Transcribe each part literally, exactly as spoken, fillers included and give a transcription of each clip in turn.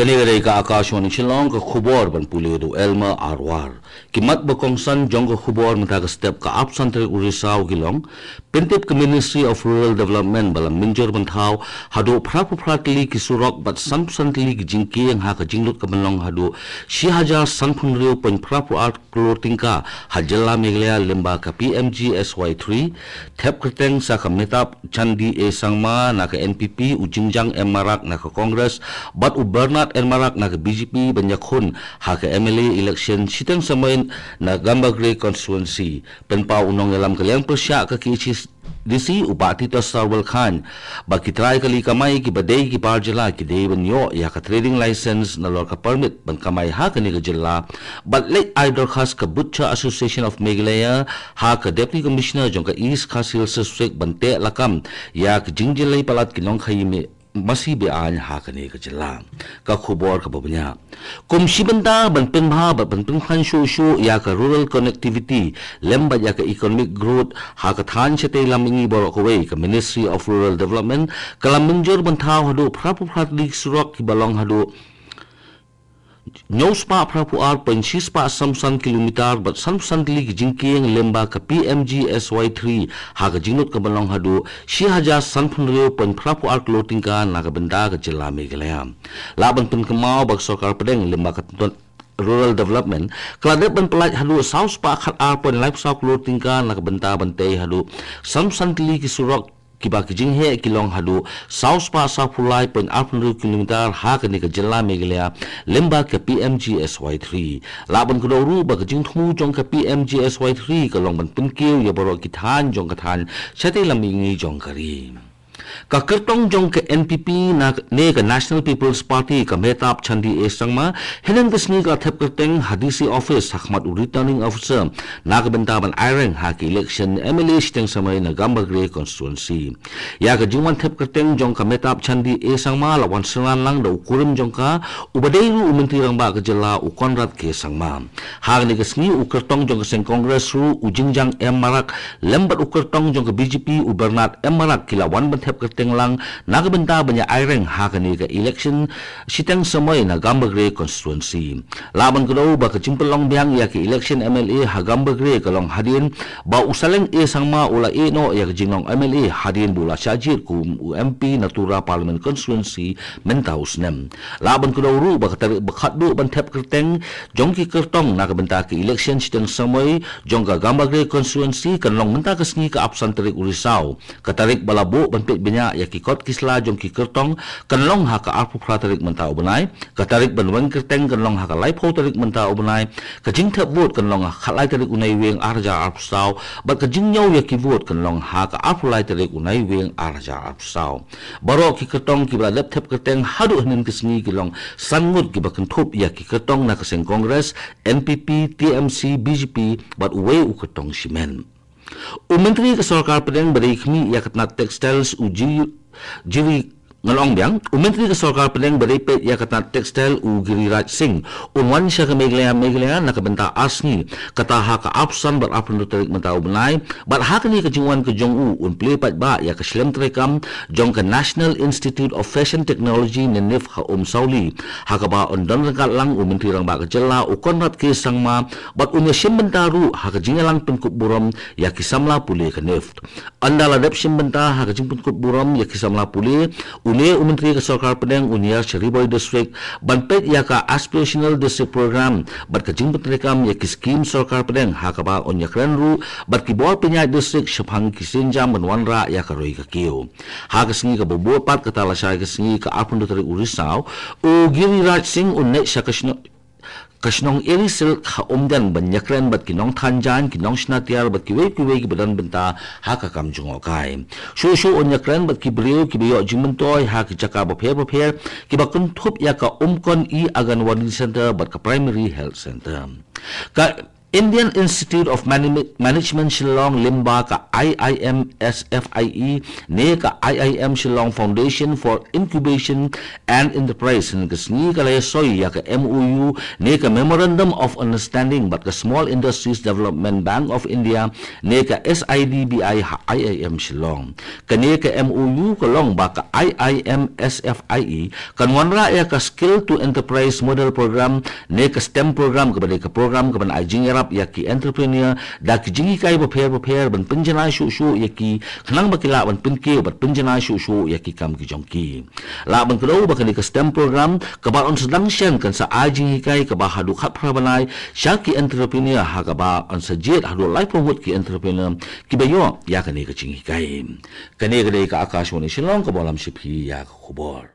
Kane ka dei ka Akashvani Shillong, ka khubor ban pule da u Elmer Arwar. Ki mat ba kongsan jong ka khubor mynta ka step, ka arphew san tarik u Risaw ki long: Pyntip ka Ministry of Rural Development ba la mynjur ban thaw haduh phraphew phra tylli ki surok bad sanphew san tylli ki jingkieng ha ka jinglut ka ban long haduh shi hajar sanphew hynriew point phraphew ar klur tyngka ha jylla Meghalaya lyngba ka P M G S Y three. Thep kyrteng sa ka Mehtab Chandee A Sangma na ka N P P, u Jingjang M Marak na ka Congress bad u Bernard M Marak na ka B J P ban ïakhun ha ka M L A election shiteng samoi na Gambegre constituency. Pynpaw u nongïalam ka liang pyrshah ka K H A D C, u Bah Titos Tarwal Chyne, ba ki trai kali kamai kiba dei ki bar jylla ki dei ban ïoh ïa ka trading license nalor ka permit ban kamai ha kane ka jylla bad leit ai dorkhas ka Butcher Association of Meghalaya ha ka Deputy Commissioner jong ka East Khasi Hills District ban teh lakam ïa ka jingjyllei palat ki nongkhaïi masi be-aiñ ha kane ka jylla. Ka khubor kaba bniah. Kum shi bynta ban pynbha bad ban pynkhlaiñ shuh shuh ïa ka rural connectivity lem bad ïa ka economic growth ha ka thaiñ shatei lam mihngi baroh kawei, ka Ministry of Rural Development ka la mynjur ban thaw haduh phraphew phra tylli ki surok kiba long haduh hynñiew spah phraphew ar point shi spah sanphew san kilometer bad sanphew san tylli ki jingkieng lyngba ka P M G S Y three ha ka jinglut ka ban long haduh shi hajar sanphew hynriew point phraphew ar klur tyngka na ka bynta ka jylla Meghalaya. Lah ban pynkynmaw ba ka sorkar pdeng lyngba ka Rural Development ka la dep ban pyllait haduh saw spah khat ar point laiphew saw klur tyngka na ka bynta ban tei haduh sanphew san tylli ki surok kiba ki jingheh ki long haduh saw spah sawphew lai point arphew hynriew kilometer ha kane ka jylla Meghalaya lyngba ka P M G S Y three. Lah ban kdew ruh ba ka jingthmu jong ka P M G S Y three ka long ban pynkiew ïa baroh ki thaiñ jong ka thaiñ shatei lam mihngi jong ka ri. Ka kyrtong jong ka N P P na ne ka National People's Party, ka Mehtab Chandee A Sangma, hynnin ka sngi ka la thep kyrteng ha D C office ha khmat u Returning Officer na ka bynta ban aireng ha ka election M L A shiteng samoi na Gambegre constituency. Ïa ka jingwan thep kyrteng jong ka Mehtab Chandee A Sangma la wan synran lang da u kurim jong ka, uba dei ruh u Myntri Rangbah ka jylla, u Conrad K Sangma. Ha kane ka sngi u kyrtong jong ka seng Congress ruh, u Jingjang M Marak, lem bad u kyrtong jong ka B J P, u Bernard M Marak, ki la wan ban thep kyrteng lang na ka bynta ban ïa aireng ha kane ka election shiteng samoi na Gambegre constituency. Lah ban kdew ba ka jingpynlong biang ïa ka election M L A ha Gambegre ka long hadien ba u Saleng A Sangma u la ïeh noh ïa ka jinglong M L A hadien ba u la shah jied kum u M P na Tura Parliament Constituency mynta u snem. Lah ban kdew ruh ba ka tarik ba khatduh ban thep kyrteng jong ki kyrtong na ka bynta ka election shiteng samoi jong ka Gambegre constituency kan long mynta ka sngi, ka arphew san tarik u Risaw. Ka tarik ba la buh ban peit bniah ïa ki kot ki sla jong ki kyrtong kan long ha ka arphew phra tarik mynta u bnai. Ka tarik ban weng kyrteng kan long ha ka laiphew tarik mynta u bnai. Ka jingthep vote kan long ha ka khatlai tarik u Naiwieng ar hajar arphew saw bad ka jingñiew ïa ki vote kan long ha ka arphew lai tarik u Naiwieng ar hajar arphew saw. Baroh ki kyrtong kiba la dep thep kyrteng haduh hynnin ka sngi ki long san ngut, kiba kynthup ïa ki kyrtong na ka seng Congress, N P P, T M C, B J P bad uwei u kyrtong shimet. U Myntri ka Sorkar Pdeng ba dei khmih ïa ka tnat Textiles, u Ji-, Jiri Ngan Ong Biang, u Myntri ka Sorkar Pdeng ba dei peit ïa ka tnat Textile, u Giriraj Singh, un wan sha ka Meghalaya, Meghalaya na ka bynta ar sngi, kata ha ka arphew san bad arphew hynriew tarik mynta u bnai, bad ha kane ka jingwan ka jong u un plie paidbah ïa ka shlem treikam jong ka National Institute of Fashion Technology ne NIFT ha Umsawli, ha kaba un don ryngkat lang u Myntri Rangbah ka jylla, u Conrad K Sangma, bad un ïashim bynta ruh ha ka jingïalang pynkup burom ïa ki samla pule ka NIFT. Ynda la dep shim bynta ha ka jingpynkup burom ïa ki samla pule, une u Myntri ka Sorkar Pdeng un ïar sha Ri Bhoi District ban peit ïa ka Aspirational District Program bad ka jingpyntreikam ïa ki skim Sorkar Pdeng, ha kaba un ïakren ruh bad ki bor pynïaid district shaphang ki sienjam ban wanrah ïa ka roi ka kiew. Ha ka sngi kaba bud pat, kata lashai ka sngi, ka arphew hynriew tarik u Risaw, u Giriraj Singh un leit sha ka shnong ka shnong Eri Silk ha Umden ban ïakren bad ki nongthan jaiñ, ki nongshna tiar bad kiwei kiwei kiba don bynta ha ka kam jngohkai. Shuh shuh un ïakren bad ki briew kiba ïoh jingmyntoi ha ki jaka bapher bapher, kiba kynthup ïa ka Umkon E-Anganwadi Centre bad ka Primary Health Centre. Ka Indian Institute of Manage- Management Shillong, lyngba ka I I M S F I E ne ka I I M Shillong Foundation for Incubation and Enterprise, hynne ka sngi ka la ïasoi ïa ka M O U ne ka Memorandum of Understanding bad ka Small Industries Development Bank of India ne ka S I D B I ha I I M Shillong. Kane ka M O U ka long ba ka I I M S F I E kan wanrah ïa ka Skill to Enterprise Model Program ne ka STEM program kaba dei ka program kaban ai jingïarap ïa ki entrepreneur da ki jinghikai bapher bapher ban pynjanai shuh shuh ïa ki khnang ba ki lah ban pynkiew bad pynjanai shuh shuh ïa ki kam ki jong ki. Lah ban kdew ba kane ka STEM program kaba yn sa dang shen kan sa ai jinghikai kaba haduh khatphra bnai sha ki entrepreneur ha kaba yn sa jied haduh laiphew ngut ki entrepreneur kiba ïoh ïa kane ka jinghikai. Kane ka dei ka Akashvani Shillong kaba lam sha phi ïa ka khubor.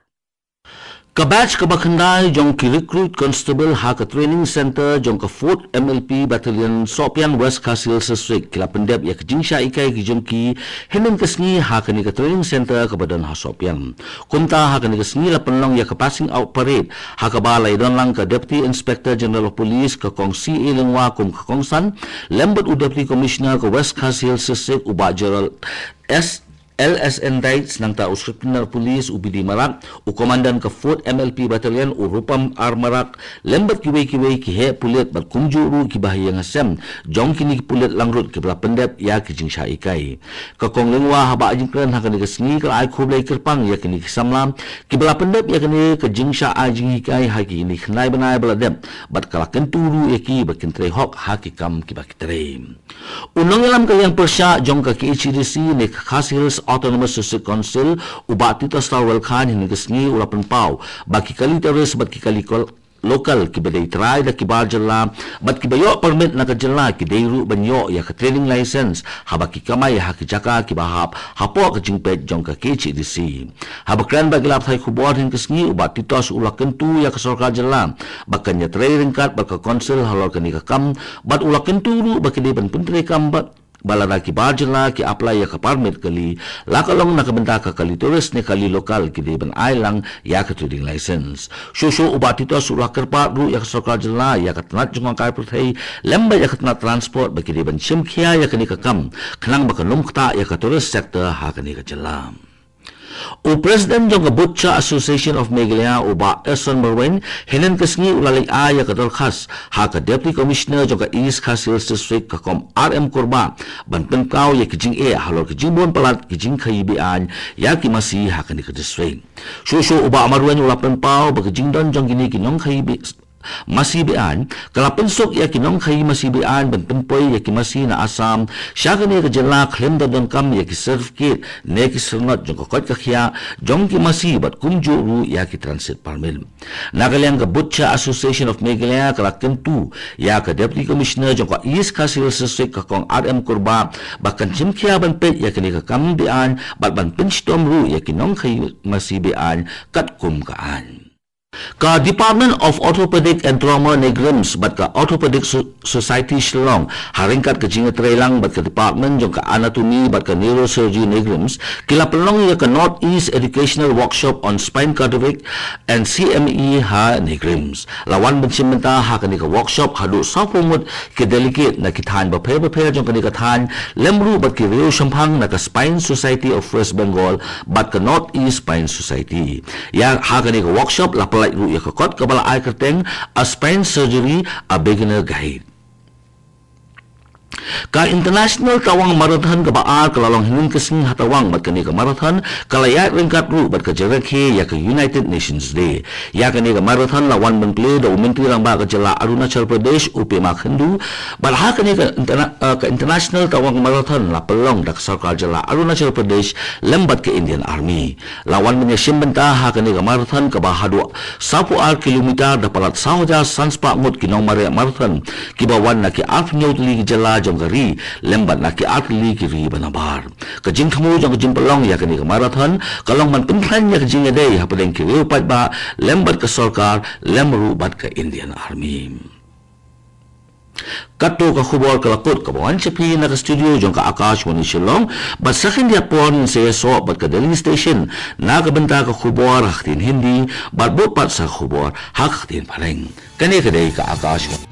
Ka batch kaba khyndai jong ki recruit constable ha ka training center jong ka Fourth M L P Battalion Sohpian, West Khasi Hills District ki la pyndep ïa ka jingshah hikai ki jong ki hynnin ka sngi ha kane ka training center kaba don ha Sohpian. Kumta ha kane ka sngi la pynlong ïa ka passing out parade ha kaba la ïadon lang ka Deputy Inspector General of Police ka Kong C A Lyngwa kum ka kongsan lem bad u Deputy Commissioner ka West Khasi Hills District u Bah Gerald S L S N Dykes, nangta u Superintendent Police u B D Marak, u Commandant ka Fourth M L P Battalion u Rupam R Marak, lem bad kiwei kiwei ki heh pulit bad kumjuh ruh kiba ha ïing ha sem jong kine ki pulit langrut kiba la pyndep ïa ki jingshah hikai. Ka Kong Lyngwa haba ai jingkren ha kane ka sngi ka la ai khublei kyrpang ïa kine ki samla kiba la pyndep ïa kane ka jingshah ai jinghikai ha kine ki khyndai bnai ba la dep bad ka la kyntu ruh ïa ki ba kin trei hok ha ki kam kiba ki trei. U nongïalam ka liang pyrshah jong ka K H A D C ne ka Khasi Hills Autonomous District Council u Bah Titos Tarwel Chyne hynne ka sngi u la pynpaw ba ki kali tourist bad ki kali kol- local kiba dei trai da ki bar jylla bad kiba ïoh permit na ka jylla ki dei ruh ban ïoh ïa ka trading license haba ki kamai ha ki jaka kiba hap hapoh ka jingpeit jong ka K H A D C. Haba kren bad ki lad pathai khubor hynne ka sngi u Bah Titos u la kyntu ïa ka sorkar jylla ba kan ïatrei ryngkat bad ka council halor kane ka kam bad u la kyntu ruh ba ki dei ban pyntreikam bad ba lada ki bar jylla ki apply ïa ka permit kali la ka long na ka bynta ka kali tourist ne kali local ki dei ban ai lang ïa ka trading license. Shuh shuh u Bah Titos u la kyrpad ruh ïa ka sorkar jylla ïa ka tnat jong ka kai pyrthei lem bad ïa ka tnat transport ba ki dei ban shim khia ïa kane ka kam khnang ba kan ym ktah ïa ka tourist sector ha kane ka jylla. U President jong ka Butcher Association of Meghalaya u Bah Eson Marwein hynne ka sngi u la leit ai ïa ka dorkhas ha ka Deputy Commissioner jong ka East Khasi Hills District ka Kong R M Kurbah ban pynpaw ïa ki jingeh halor ki jingbun palat ki jingkhaïi be-aiñ ïa ki masi ha kane ka district. Shuh shuh u Bah Marwein u la pynpaw ba ki jingdon jong kine ki nongkhaïi be- masi be-aiñ ka la pynsuk ïa ki nongkhaïi masi be-aiñ ban pynpoi ïa ki masi na Assam sha kane ka jylla khlem da donkam ïa ki certificate ne ki syrnod jong ka koit ka khiah jong ki masi bad kumjuh ruh ïa ki transit permit. Na ka liang ka Butcher Association of Meghalaya ka la kyntu ïa ka Deputy Commissioner jong ka East Khasi Hills District ka Kong R M Kurbah ba kan shim khia ban peit ïa kane ka kam be-aiñ bad ban pynshitom ruh ïa ki nongkhaïi masi be-aiñ katkum ka aiñ. Ka Department of Orthopedic and Trauma NEIGRIHMS bad ka Orthopedic So- Society Shillong ha ryngkat ka jingïatreilang bad ka Department jong ka Anatomy bad ka Neurosurgery NEIGRIHMS ki la pynlong ïa ka North East Educational Workshop on Spine Cadaveric and C M E ha NEIGRIHMS. La wan ban shim bynta ha kane ka workshop haduh sawphew ngut ki delegate na ki thaiñ bapher bapher jong kane ka thaiñ lem ruh bad ki riew shemphang na ka Spine Society of West Bengal bad ka North East Spine Society. Ïa ha kane ka workshop la pyllait ruh ïa ka kot kaba la ai kyrteng A Spine Surgery, A Beginner Guide. Ka International Tawang Marathon kaba ar ka la long hynnin ka sngi ha Tawang bad kane ka marathon ka la ïaid ryngkat ruh bad ka jingrakhe ïa ka United Nations Day. Ïa kane ka marathon la wan ban plie da u Myntri Rangbah ka jylla Arunachal Pradesh u Pema Khandu bad ha kane ka interna- eh, ka International Tawang Marathon la pynlong da ka sorkar jylla Arunachal Pradesh lem bad ka Indian Army. La wan ban ïashim bynta ha kane ka marathon kaba haduh sawphew ar kilometer da palat saw hajar san spah ngut ki nongmareh marathon kiba wan na ki arphew hynñiew tylli ki jylla jong ka ri lem bad na ki artylli ki ri ba nabar. Ka jingthmu jong ka jingpynlong ïa kane ka marathon ka long ban pynkhlaiñ ïa ka jingïadei hapdeng ki riew paidbah lem bad ka sorkar lem ruh bad ka Indian Army. Katto ka khubor ka la kut kaba wan sha phi na ka studio jong ka Akashvani Shillong bad sa khyndiat por ngin sa ïasoh bad ka Delhi Station na ka bynta ka khubor ha ka ktien Hindi bad bud pat sa ka khubor ha ka ktien Phareng. Kane ka dei ka Akashvani.